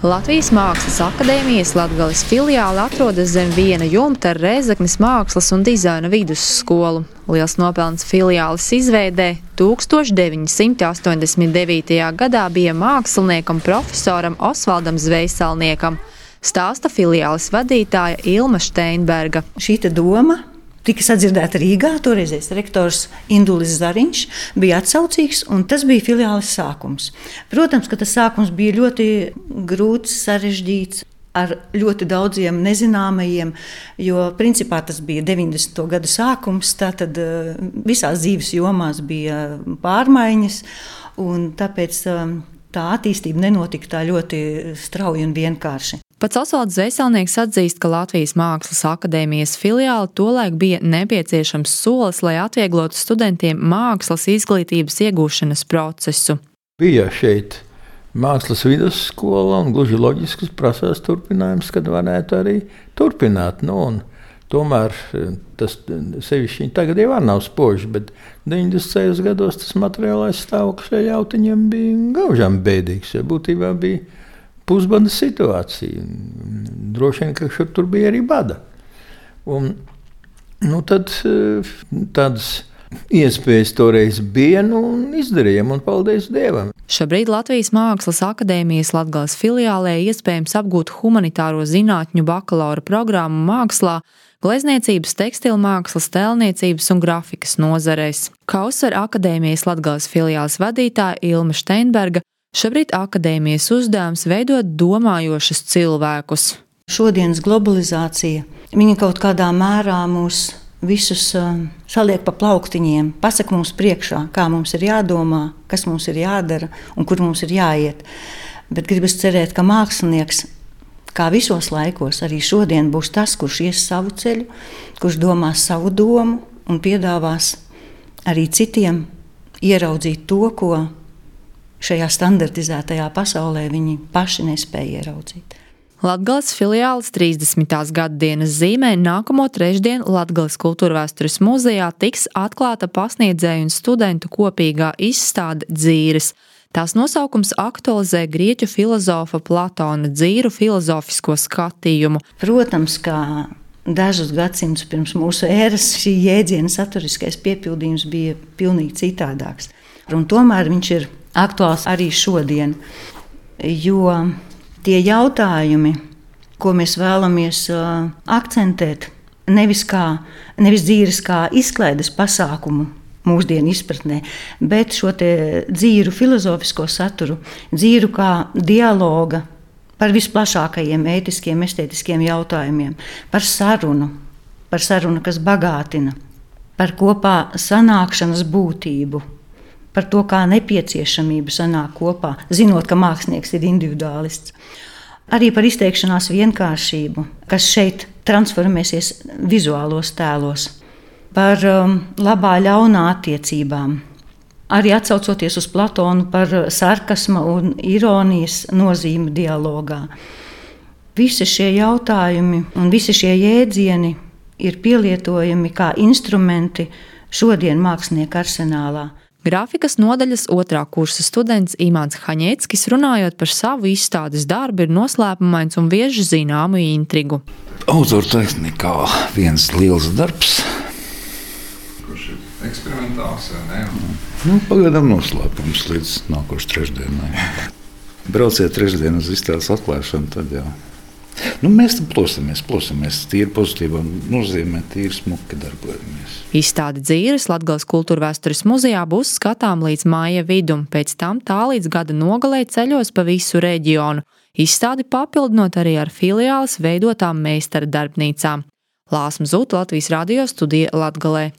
Latvijas Mākslas akadēmijas Latgales filiāle atrodas zem viena jumta ar Rēzeknes mākslas un dizaina vidusskolu. Liels nopelns filiāles izveidē 1989. gadā bija māksliniekam profesoram Osvaldam Zvejsalniekam, stāsta filiāles vadītāja Ilma Steinberga. Šīta doma tika sadzirdēta Rīgā, toreizais rektors Indulis Zariņš bija atsaucīgs, un tas bija filiāles sākums. Protams, ka tas sākums bija ļoti grūts, sarežģīts, ar ļoti daudziem nezināmajiem, jo principā tas bija 90. gadu sākums, tātad visās dzīves jomās bija pārmaiņas, un tāpēc tā attīstība nenotika tā ļoti strauji un vienkārši. Pats Osvalds Zvejsalnieks atzīst, ka Latvijas Mākslas akadēmijas filiāle tolaik bija nepieciešams solis, lai atvieglotu studentiem mākslas izglītības iegūšanas procesu. Bija šeit mākslas vidusskola un gluži loģisks prasās turpinājums, kad varētu arī turpināt. Tomēr tas sevišķi tagad jau nav spoži, bet 90. gados tas materiālais stāvoklis šajā jautiņiem bija gaužām bēdīgs, jo būtībā bija pusbada situācija. Droši vien, ka tur bija arī bada. Tad tādas iespējas toreiz bija un izdarījām, un paldies Dievam. Šobrīd Latvijas Mākslas akadēmijas Latgales filiālē iespējams apgūt humanitāro zinātņu bakalaura programmu mākslā, glezniecības, tekstilmākslas, tēlniecības un grafikas nozarēs. Kā uzsver akadēmijas Latgales filiāles vadītāja Ilma Steinberga, šobrīd akadēmijas uzdevums veidot domājošus cilvēkus. Šodienas globalizācija, viņa kaut kādā mērā mūs visus saliek pa plauktiņiem, pasaka mums priekšā, kā mums ir jādomā, kas mums ir jādara un kur mums ir jāiet. Bet gribas cerēt, ka mākslinieks, kā visos laikos, arī šodien būs tas, kurš ies savu ceļu, kurš domās savu domu un piedāvās arī citiem ieraudzīt to, ko šajā standartizētajā pasaulē viņi paši nespēja ieraudzīt. Latgales filiāles 30. gaddienas zīmē nākamo trešdienu Latgales Kultūrvēstures muzejā tiks atklāta pasniedzēju un studentu kopīgā izstāde Dzīres. Tās nosaukums aktualizē grieķu filozofa Platona dzīru filozofisko skatījumu. Protams, kā dažus gadsimtus pirms mūsu ēras šī jēdziena saturiskais piepildījums bija pilnīgi citādāks. Un tomēr viņš ir aktuāls arī šodien, jo tie jautājumi, ko mēs vēlamies akcentēt, nevis dzīves kā izklaides pasākumu mūsdienu izpratnē, bet šo te dzīru filozofisko saturu, dzīru kā dialoga par visplašākajiem ētiskiem, estētiskiem jautājumiem, par sarunu, kas bagātina, par kopā sanākšanas būtību, par to, kā nepieciešamība sanāk kopā, zinot, ka mākslinieks ir individuālists. Arī par izteikšanās vienkāršību, kas šeit transformēsies vizuālos tēlos, par labā ļaunā attiecībām. Arī atsaucoties uz Platonu par sarkasma un ironijas nozīmi dialogā. Visi šie jautājumi un visi šie jēdzieni ir pielietojami kā instrumenti šodien mākslinieku arsenālā. Grafikas nodaļas 2. kursa students Imants Haņeckis, runājot par savu izstādes darbu, ir noslēpumains un vieš zināmu intrigu. Autortehnikā viens liels darbs. Kurš ir eksperimentāls vai ne? Pagaidām noslēpums līdz nākošais trešdienai. Brauciet trešdien uz izstādes atklāšanu, tad jau. Mēs tam plosamies, tīri pozitīvā nozīmē, tīri smuki darbojamies. Izstāde Dzīres Latgales Kultūrvēstures muzejā būs skatām līdz māja vidum, pēc tam tā līdz gada nogalē ceļos pa visu reģionu. Izstādi papildinot arī ar filiāles veidotām meistara darbnīcām. Lāsma Zūta, Latvijas radio studija Latgalē.